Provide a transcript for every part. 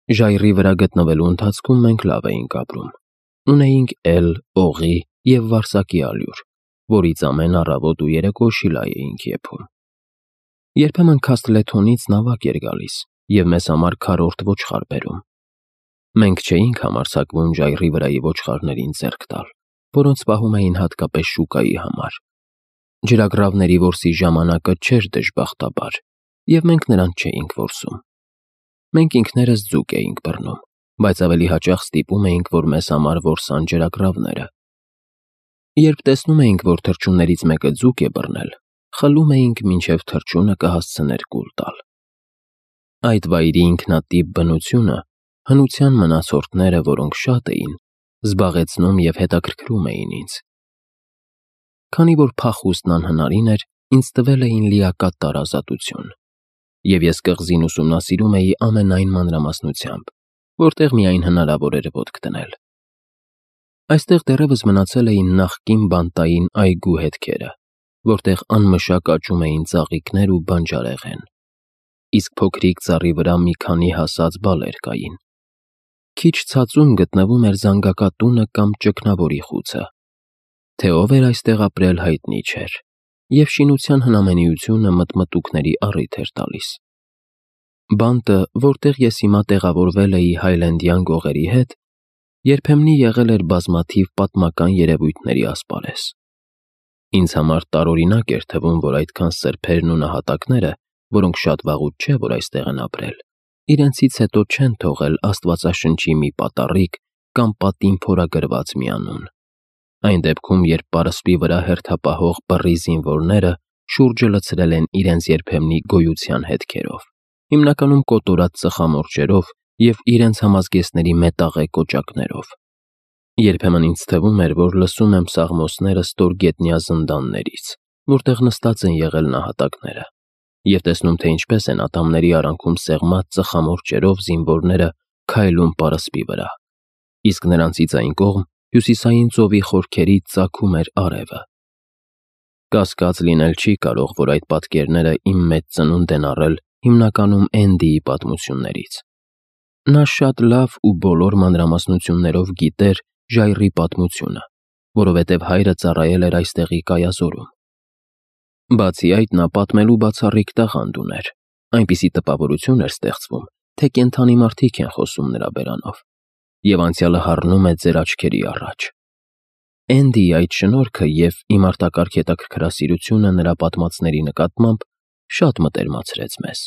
Ժայռի վրա գտնվելու ընթացքում մենք լավ էինք ապրում։ Ունեինք էլ, օղի և վարսակի ալյուր, որից ամեն առավոտ ու երեկո շիլա էինք եփում։ Երբեմն Քասթլեթոնից նավակ էր գալիս և մեզ համար քառորդ ոչխար բերում։ Մենք չէինք համարձակվում ժայռի վրայի ոչխարներին ձեռք տալ, որոնց պահում էին հատկապես շուկայի համար։ Ջրագռավների որսի ժամանակը չէր դժբախտաբար, և մենք նրանց չէինք որսում։ Մենք ինքներս ձուկ էինք բռնում, բայց ավելի հաճախ ստիպում էինք, որ մեզ համար որսան ջրագռավները։ Երբ տեսնում էինք, որ թռչուններից մեկը ձուկ է բռնել, խլում էինք, մինչև թռչունը կհասցներ կուլ տալ։ Այդ վայրի ինքնատիպ բնությունը, հնության մնացորդները, որոնք շատ էին, զբաղեցնում և հետաքրքրում էին ինձ։ Քանի որ փախուստն անհնարին էր, ինձ տվել էին լիակատար ազատություն, և ես կղզին ուսումնասիրում էի ամենայն մանրամասնությամբ, որտեղ միայն հնարավոր էր ոտք դնել։ Այստեղ դեռևս մնացել էին նախկին բանտային այգու հետքերը, որտեղ անմշակ աճում էին ծաղիկներ ու բանջարեղեն, իսկ փոքրիկ ծառի վրա մի քանի հասած բալեր կային։ Քիչ ցածում գտնվում էր զանգակատունը կամ ճգնավորի խուցը։ Թե ով էր այստեղ ապրել հայտնի չէր, և շինության հնամենիությունը մտմտուքների առիթ էր տալիս։ Բանտը, որտեղ ես հիմա տեղավորվել էի Հայլենդյան գողերի հետ, երբեմնի եղել էր բազմաթիվ պատմական երևույթների ասպարեզ։ Ինձ համար տարօրինակ էր թվում, որ այդքան սրբերն ու նահատակները, որոնք շատ վաղուց չէ, որ այստեղ են ապրել, իրենցից հետո չեն թողել Աստվածաշնչի մի պատառիկ կամ պատին փորագրված մի անուն։ Այն դեպքում, երբ պարսպի վրա հերթապահող բռի զինվորները շուրջը լցրել են իրենց երբեմնի գոյության հետքերով, հիմնականում կոտորած ծխամորճերով և իրենց համազգեստների մետաղե կոճակներով։ Երբեմն ինձ թվում էր, որ լսում եմ սաղմոսները ստորգետնյա զնդաններից, որտեղ նստած են եղել նահատակները, և տեսնում, թե ինչպես են ատամների արանքում սեղմած ծխամորճերով զինվորները քայլում պարսպի վրա, իսկ նրանցից այն կողմ հյուսիսային ծովի խորքերից ծագում էր արևը։ Կասկած լինել չի կարող, որ այդ պատկերները իմ մեծ ծնունդ են առել հիմնականում Էնդիի պատմություններից։ Նա շատ լավ ու բոլոր մանրամասնություններով գիտեր ժայռի պատմությունը, որովհետև հայրը ծառայել էր այստեղի կայազորում։ Բացի այդ, նա պատմելու բացառիկ տաղանդ ուներ, այնպիսի տպավորություն էր ստեղծվում, թե կենդանի մարդիկ են խոսում նրա բերանով, և անցյալը հառնում է ձեր աչքերի առաջ։ Էնդիի այդ շնորհքը և իմարտակարգ հետաքրքրասիրությունը նրա պատմածների նկատմամբ շատ մտերմացրեց մեզ։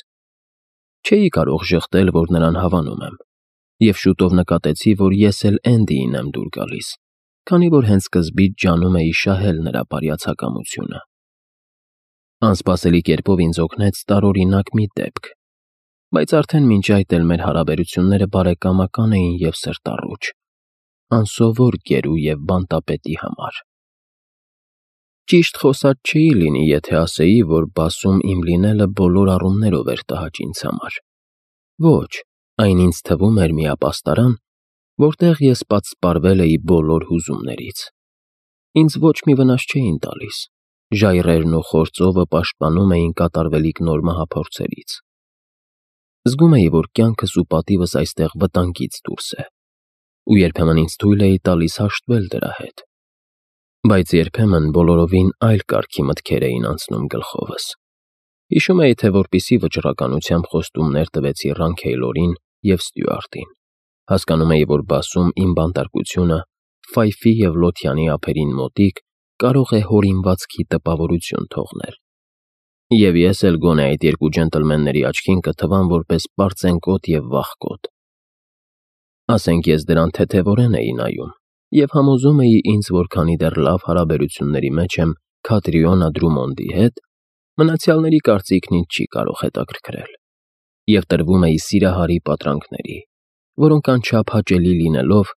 Չէի կարող ժխտել, որ նրան հավանում եմ, և շուտով նկատեցի, որ ես էլ Էնդիին եմ դուր գալիս, քանի որ հենց սկզբից ջանում էի շահել նրա բարյացակամությունը։ Անսպասելի կերպով ինձ օգնեց տարօրինակ մի դեպք, բայց արդեն մինչ այդ էլ մեր հարաբերությունները բարեկամական էին և սրտառուչ, անսովոր գերու և բանտապետի համար։ Ճիշտ խոսած չէի լինի, եթե ասեի, որ բասում իմ լինելը բոլոր առումներով էր տհաճ ինձ համար։ Ոչ, այն ինձ թվում էր մի ապաստարան, որտեղ ես պատսպարվել էի բոլոր հուզումներից։ Ինձ ոչ մի վնաս չէին տալիս, ժայռերն ու խոր ծովը պաշտպանում էին կատարվելիք նոր մահափորձերից։ Զգում էի, որ կյանքս ու պատիվս այստեղ վտանգից դուրս է, ու երբեմն ինձ թույլ էի տալիս հաշտվել դրա հետ։ Բայց երբեմն բոլորովին այլ կարգի մտքեր էին անցնում գլխովս։ Հիշում էի, թե որպեսզի վճռականությամբ խոստումներ տվեցի Ռանքեյլորին և Ստյուարտին, հասկանում էի, որ բասում իմ բանտարկությունը Ֆայֆի և Լոթյանի ափերին մոտիկ կարող է հորինվածքի տպավորություն թողնել։ Եվ ես էլ գոնե այդ երկու ջենտլմենների աչքին կթվամ որպես պարծենկոտ և վախկոտ։ Ասենք ես դրան թեթևորեն էի նայում և համոզում էի ինձ, որ քանի դեռ լավ հարաբերությունների մեջ եմ Քաթրիոնա Դրումոնդի հետ, մնացյալների կարծիքն ինձ չի կարող հետաքրքրել, և տրվում էի սիրահարի պատրանքների, որոնք անչափ հաճելի լինելով,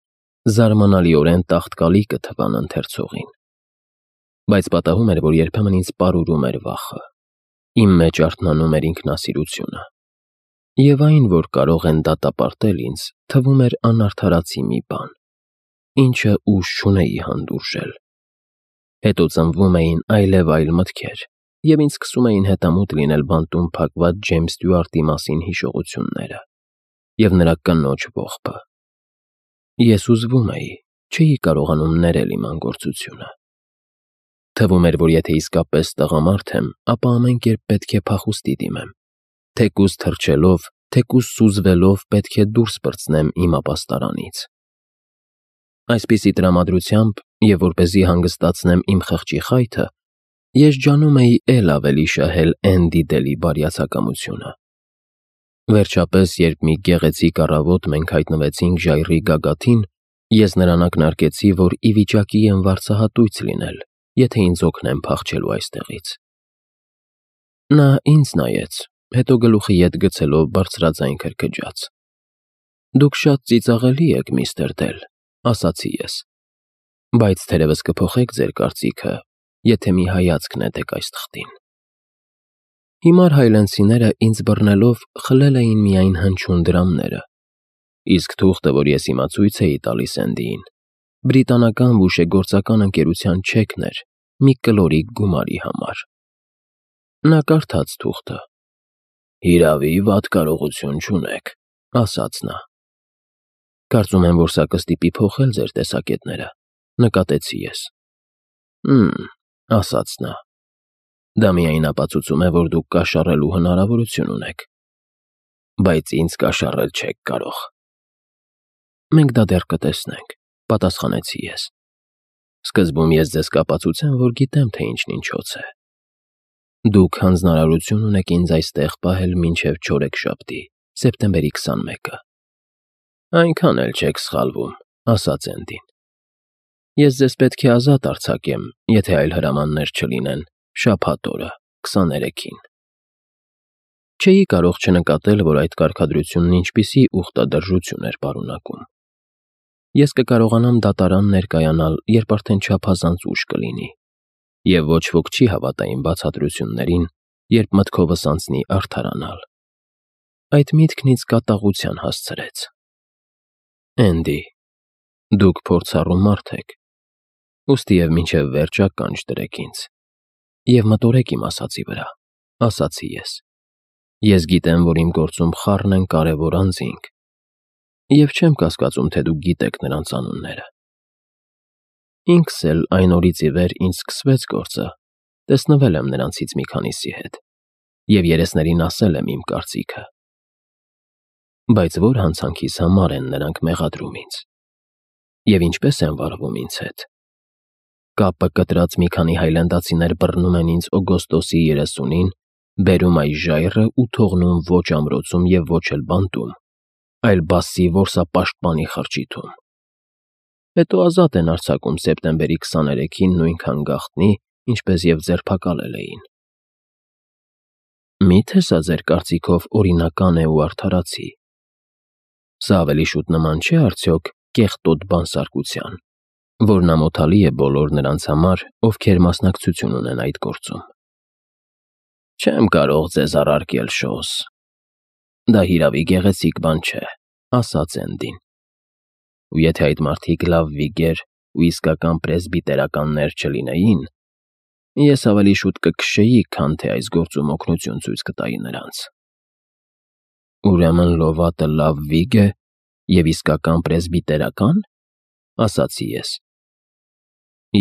զարմանալիորեն տաղտկալի կթվան ընթերցողին։ Բայց պատահում էր, որ երբեմն ինձ պարուրում էր վախը, իմ մեջ արթնանում էր ինքնասիրությունը, և այն, որ կարող են դատապարտել ինձ, թվում էր անարդարացի մի բան, ինչը ուժ չունեի հանդուրժել։ Հետո ծնվում էին այլևայլ մտքեր, և ինձ սկսում էին հետամուտ լինել բանտում փակված Ջեյմս Ստյուարտի մասին հիշողությունները։ և նրա կնոջ ողբը։ Ես ուզվում էի, չէի կարողանում ներել իմ անգործությունը։ Թվում էր, որ եթե իսկապես տղամարդ եմ, ապա ամեն կերպ պետք է փախուստի դիմեմ, թեկուզ թռչելով, թեկուզ սուզվելով պետք է դուրս պրծնեմ իմ ապաստարանից։ Այսպիսի տրամադրությամբ, և որպեսզի հանգստացնեմ իմ խղճի խայթը, ես ջանում էի էլ ավելի շահել Էնդի Դելի բարյացակամությունը։ Վերջապես, երբ մի գեղեցիկ առավոտ մենք հայտնվեցինք ժայռի գագաթին, ես նրան ակնարկեցի, որ ի վիճակի եմ վարձահատույց լինել, եթե ինձ օգնեն փախչելու այստեղից։ Նա ինձ նայեց, հետո գլուխը ետ գցելով բարձրաձայն քրքջաց։ «Դուք շատ ծիծաղելի եք, միստր Դել», ասացի ես, «բայց թերևս կփոխեք ձեր կարծիքը, եթե մի հայացք նետեք այս թղթին»։ Հիմար հայլենցիները ինձ բռնելով խլել էին միայն հնչյուն դրամները, իսկ թուղթը, որ ես հիմա ցույց էի տալիս Էնդիին, բրիտանական բուժեգործական ընկերության չեքն էր մի կլորիկ գումարի համար։ Նա կարդաց թուղթը։ «Հիրավի, վատ կարողություն չունեք», ասաց նա։ «Կարծում եմ, որ սա կստիպի փոխել ձեր տեսակետները», նկատեցի ես։ Ասաց նա։ «Դա միայն ապացուցում է, որ դուք կաշառելու հնարավորություն ունեք, բայց ինձ կաշառել չեք կարող»։ «Մենք դա դեռ կտեսնենք», պատասխանեցի ես։ «Սկզբում ես ձեզ կապացուցեմ, որ գիտեմ, թե ինչն ինչոց է։ Դուք հանձնարարություն ունեք ինձ այստեղ պահել մինչև չորեքշաբթի, սեպտեմբերի 21-ը»։ «Այնքան էլ չեք սխալվում», ասաց Էնդին։ «Ես ձեզ պետք է ազատ արձակեմ, եթե այլ հրամաններ չլինեն, շաբաթ օրը, 23-ին»։ Չէի կարող չնկատել, որ այդ կարգադրությունն ինչպիսի ուխտադրժություն էր պարունակում։ Ես կկարողանամ դատարան ներկայանալ, երբ արդեն չափազանց ուշ կլինի, և ոչ ոք չի հավատա իմ բացատրություններին, երբ մտքովս անցնի արդարանալ։ Այդ միտքն ինձ կատաղության հասցրեց։ «Էնդի, դուք փորձառու մարդ եք, ուստիև մինչև վերջ ականջ դրեք ինձ և մտորեք իմ ասածի վրա», ասացի ես։ «Ես գիտեմ, որ իմ գործում խառն են կարևոր անձինք, և չեմ կասկածում, թե դուք գիտեք նրանց անունները։ Ինքս էլ այն օրից ի վեր ինչ սկսվեց գործը, տեսնվել եմ նրանցից մի քանիսի հետ և երեսներին ասել եմ իմ կարծիքը։ Բայց ո՞ր հանցանքիս համար են նրանք մեղադրում ինձ, և ինչպես են վարվում ինձ հետ։ Կապը կտրած մի քանի հայլանդացիներ բռնում են ինձ օգոստոսի 30-ին, բերում այս ժայռը ու թողնում ոչ ամրոցում և ոչ էլ բանտում, այլ բասի որսապաշտպանի խրճիթում։ Հետո ազատ են արձակում սեպտեմբերի 23-ին նույնքան գաղտնի, ինչպես և ձերբակալել էին։ Մի՞թե սա ձեր կարծիքով օրինական է ու արդարացի։ Սա ավելի շուտ նման չէ արդյոք կեղտոտ բանսարկության, որն ամոթալի է բոլոր նրանց համար, ովքեր մասնակցություն ունեն այդ գործում։ Չեմ կարող ձեզ առարկել, Շոուս։ Դա հիրավի գեղեցիկ բան չէ, ասաց Էնդին։ Ու եթե այդ մարդիկ լավ վիգեր ու իսկական պրեսբիտերականներ չլինեին, ես ավելի շուտ կքշեի, քան թե այս գործում օգնություն ցույց կտայի նրանց։ Ուրեմն լովատը լավ վիգ է և իսկական պրեսբիտերական, ասացի ես։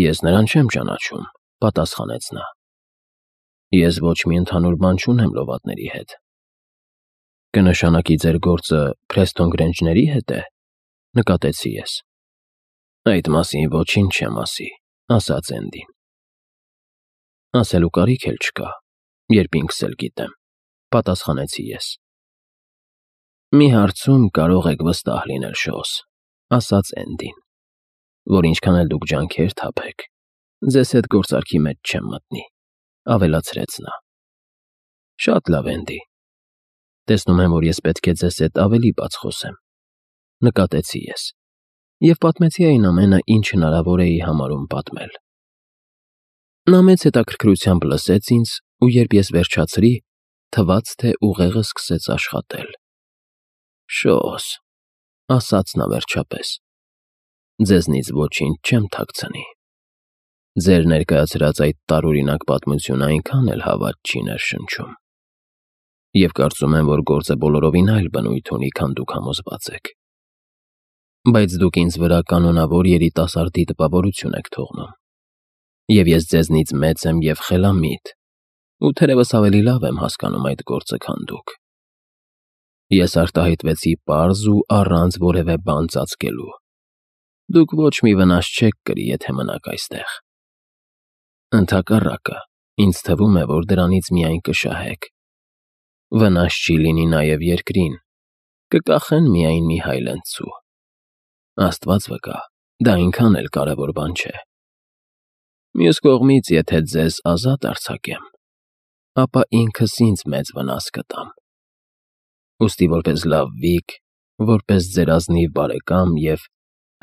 Ես նրան չեմ ճանաչում, պատասխանեց նա։ Ես ոչ մի ընդհանուր բան չունեմ լովատների հետ։ Կնշանակի ձեր գործը Փրեսթոն Գրենջների հետ է, նկատեցի ես։ Այդ մասին ոչինչ չեմ ասի, ասաց Էնդին։ Ասելու կարիք էլ չկա, երբ ինքս էլ գիտեմ, պատասխանեցի ես։ Մի հարցում կարող եք վստահ լինել, Շոուս, ասաց Էնդին, որ ինչքան էլ դուք ջանքեր թափեք, ձեզ հետ գործարքի մեջ չեմ մտնի, ավելացրեց նա։ Շատ լավ, Էնդի։ Տեսնում եմ, որ ես պետք է ձեզ հետ ավելի բաց խոսեմ, նկատեցի ես, և պատմեցի այն ամենը, ինչ հնարավոր էի համարում պատմել։ Նա մեծ հետաքրքրությամբ լսեց ինձ, ու երբ ես վերջացրի, թվաց, թե ուղեղը սկսեց աշխատել։ Շոուս, ասաց նա վերջապես, ձեզնից ոչինչ չեմ թաքցնի։ Ձեր ներկայացրած այդ տարօրինակ պատմությունը այնքան էլ հավատ չի ներշնչում։ Եվ կարծում եմ, որ գործը բոլորովին այլ բնույթ ունի, քան դուք համոզված եք։ Բայց դուք ինձ վրա կանոնավոր երիտասարդի տպավորություն եք թողնում։ Եվ ես ձեզնից մեծ եմ և խելամիտ, ու թերևս ավելի լավ եմ հասկանում այդ գործը, քան դուք։ Ես արտահայտվեցի պարզ ու առանց որևէ բան ծածկելու։ Դուք ոչ մի վնաս չեք կրի, եթե մնաք այստեղ։ Ընդհակառակը, ինձ թվում է, որ դրանից միայն կշահեք։ Վնաս չի լինի նաև երկրին, կկախեն միայն մի հայլենցու։ Աստված վկա, դա այնքան էլ կարևոր բան չէ։ Մյուս կողմից, եթե ձեզ ազատ արձակեմ, ապա ինքս ինձ մեծ վնաս կտամ։ Ուստի որպես լավ վիկ, որպես ձեր ազնիվ բարեկամ և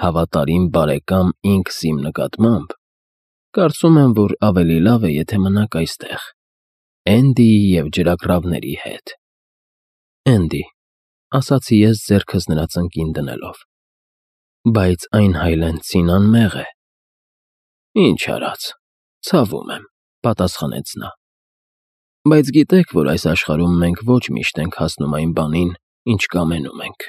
հավատարիմ բարեկամ ինքս իմ նկատմամբ, կարծում եմ, որ ավելի լավ է, եթե մնաք այստեղ, Էնդիի և ջրագրավների հետ։ Էնդի, ասացի ես ձեռքս նրա ծնկին դնելով։ Բայց այն հայլենցին անմեղ է։ Ինչ արած, ցավում եմ, պատասխանեց նա։ Բայց գիտեք, որ այս աշխարհում մենք ոչ միշտ ենք հասնում այն բանին, ինչ կամենում ենք։